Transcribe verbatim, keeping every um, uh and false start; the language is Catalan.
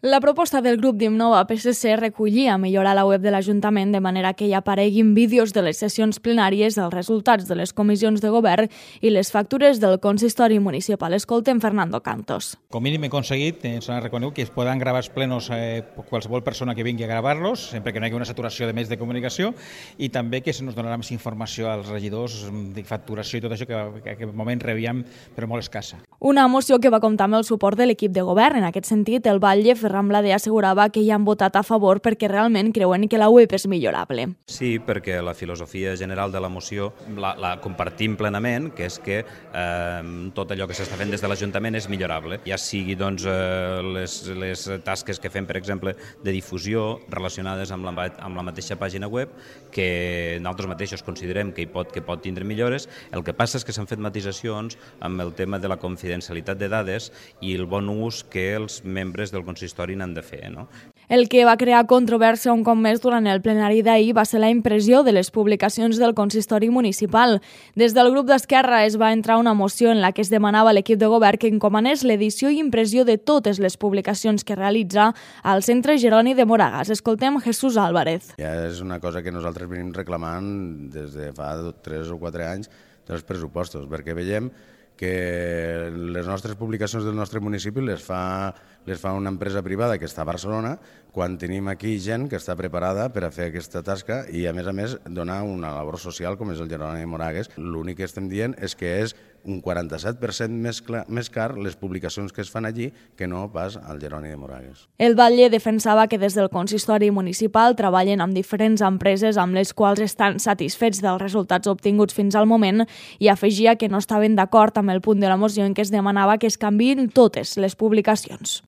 La proposta del grup d'Innova P S C recollia millorar la web de l'Ajuntament de manera que hi apareguin vídeos de les sessions plenàries, els resultats de les comissions de govern i les factures del consistori municipal. Escoltem Fernando Cantos. Com mínim he aconseguit, ens han reconegut que es poden gravar els plenos eh, qualsevol persona que vingui a gravar-los, sempre que no hi hagi una saturació de més de comunicació, i també que se nos donarà més informació als regidors de facturació i tot això que, que en aquest moment rebíem, però molt escassa. Una moció que va comptar amb el suport de l'equip de govern. En aquest sentit, el batlle Ferran Blader assegurava que hi han votat a favor perquè realment creuen que la web és millorable. Sí, perquè la filosofia general de la moció la, la compartim plenament, que és que eh, tot allò que s'està fent des de l'Ajuntament és millorable. Ja sigui doncs, eh, les, les tasques que fem, per exemple, de difusió relacionades amb la, amb la mateixa pàgina web, que nosaltres mateixos considerem que hi pot, que pot tindre millores. El que passa és que s'han fet matisacions amb el tema de la confidencialitat de dades i el bon ús que els membres del consistori n'han de fer, no? El que va crear controvèrsia un cop més durant el plenari d'ahir va ser la impressió de les publicacions del consistori municipal. Des del grup d'Esquerra es va entrar una moció en la que es demanava a l'equip de govern que encomanés l'edició i impressió de totes les publicacions que realitza al Centre Jeroni de Moragas. Escoltem Jesús Álvarez. Ja és una cosa que nosaltres venim reclamant des de fa tres o quatre anys dels pressupostos, perquè veiem que les nostres publicacions del nostre municipi les fa, les fa una empresa privada que està a Barcelona, quan tenim aquí gent que està preparada per a fer aquesta tasca i, a més a més, donar una labor social com és el Jeroni de Moragas. L'únic que estem dient és que és un quaranta-set per cent més, clar, més car les publicacions que es fan allí que no pas al Jeroni de Moragas. El batlle defensava que des del consistori municipal treballen amb diferents empreses amb les quals estan satisfets dels resultats obtinguts fins al moment i afegia que no estaven d'acord amb el punt de la moció en què es demanava que es canviïn totes les publicacions.